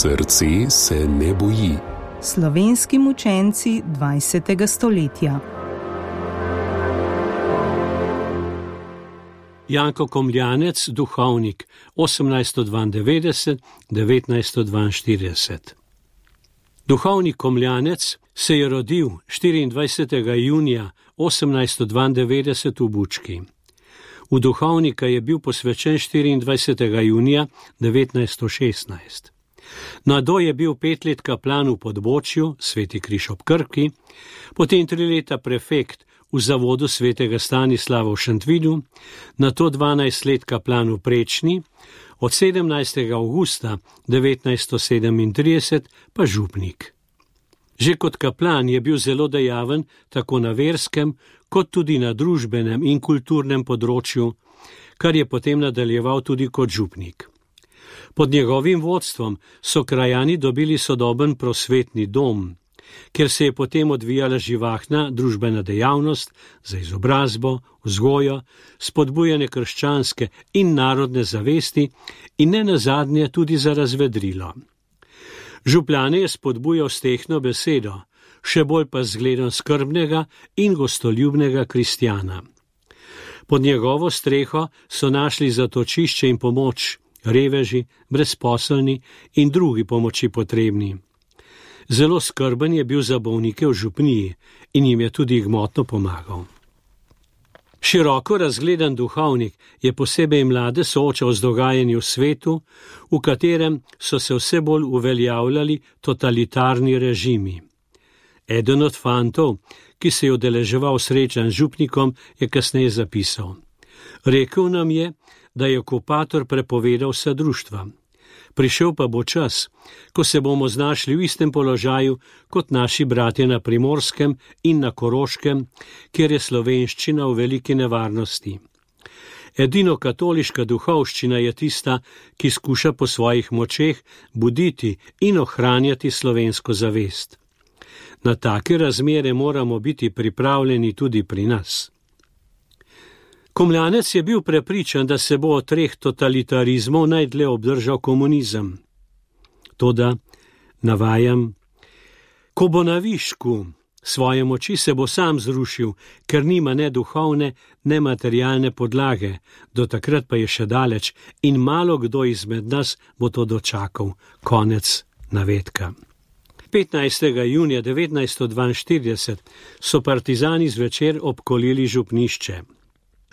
Srce se ne boji. Slovenski mučenci 20. stoletja. Janko Komljanec, duhovnik, 1892–1942. Duhovnik Komljanec se je rodil 24. junija 1892 v Bučki. V duhovnika je bil posvečen 24. junija 1916. Nado je bil 5 let kaplan v Podbočju, Sveti Križ ob Krki, potem 3 leta prefekt v zavodu svetega Stanislava v Šentvidu, nato 12 let kaplan v Prečni, od 17. avgusta 1937 pa župnik. Že kot kaplan je bil zelo dejaven tako na verskem, kot tudi na družbenem in kulturnem področju, kar je potem nadaljeval tudi kot župnik. Pod njegovim vodstvom so krajani dobili sodoben prosvetni dom, kjer se je potem odvijala živahna družbena dejavnost za izobrazbo, vzgojo, spodbujanje krščanske in narodne zavesti in ne nazadnje tudi za razvedrilo. Župljane je spodbujal s tehno besedo, še bolj pa zgledom skrbnega in gostoljubnega kristjana. Pod njegovo streho so našli zatočišče in pomoč reveži, brezposelni in drugi pomoči potrebni. Zelo skrben je bil za bolnike v župniji in jim je tudi gmotno pomagal. Široko razgledan duhovnik je posebej mlade soočal z dogajanjem v svetu, v katerem so se vse bolj uveljavljali totalitarni režimi. Eden od fantov, ki se je udeleževal srečanj z župnikom, je kasneje zapisal: rekel nam je, da je okupator prepovedal vsa društva. Prišel pa bo čas, ko se bomo znašli v istem položaju kot naši bratje na Primorskem in na Koroškem, kjer je slovenščina v veliki nevarnosti. Edino katoliška duhovščina je tista, ki skuša po svojih močeh buditi in ohranjati slovensko zavest. Na take razmere moramo biti pripravljeni tudi pri nas. Komljanec je bil prepričan, da se bo od 3 totalitarizmov najdlje obdržal komunizem. Toda, navajam, ko bo na višku svoje moči, se bo sam zrušil, ker nima ne duhovne, ne materialne podlage, do takrat pa je še daleč in malo kdo izmed nas bo to dočakal. Konec navedka. 15. junija 1942 so partizani zvečer obkolili župnišče.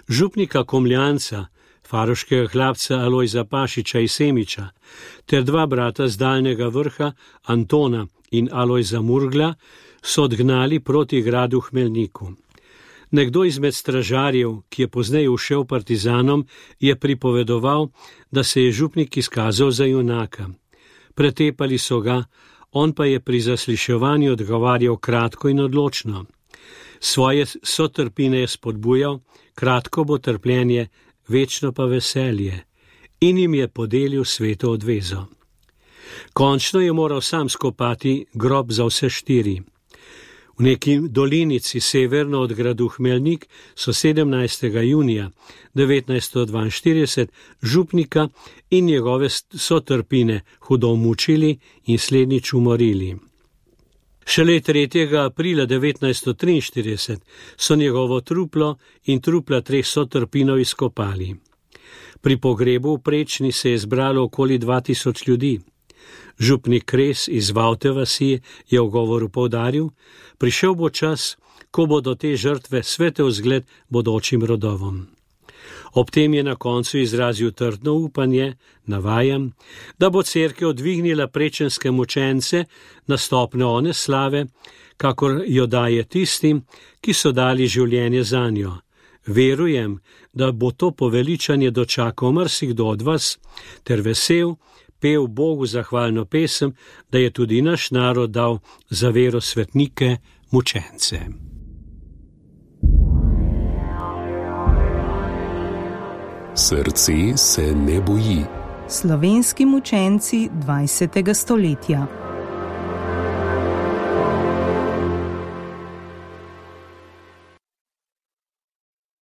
Župnika Komljanca, faroškega hlapca Alojza Pašiča iz Semiča, ter 2 brata z Daljnega Vrha, Antona in Alojza Murgla, so odgnali proti gradu Hmelniku. Nekdo izmed stražarjev, ki je pozneje ušel partizanom, je pripovedoval, da se je župnik izkazal za junaka. Pretepali so ga, on pa je pri zasliševanju odgovarjal kratko in odločno. Svoje sotrpine je spodbujal, kratko bo trpljenje, večno pa veselje, in jim je podelil sveto odvezo. Končno je moral sam skopati grob za vse 4. V neki dolinici severno od gradu Hmelnik so 17. junija 1942 župnika in njegove sotrpine hudo mučili in slednjič umorili. Šele 3. aprila 1943 so njegovo truplo in trupla 3 sotrpinov izkopali. Pri pogrebu v Prečni se je zbralo okoli 2000 ljudi. Župnik Kres iz Vavte vasi je v govoru poudaril: prišel bo čas, ko bodo te žrtve svete vzgled bodočim rodovom. Ob tem je na koncu izrazil trdno upanje, navajam, da bo cerkev dvignila prečenske mučence na stopnjo one slave, kakor jo daje tistim, ki so dali življenje zanjo. Verujem, da bo to poveličanje dočakal marsikdo od vas, ter vesel, pel Bogu zahvalno pesem, da je tudi naš narod dal za vero svetnike mučence. Srce se ne boji. Slovenski mučenci 20. stoletja.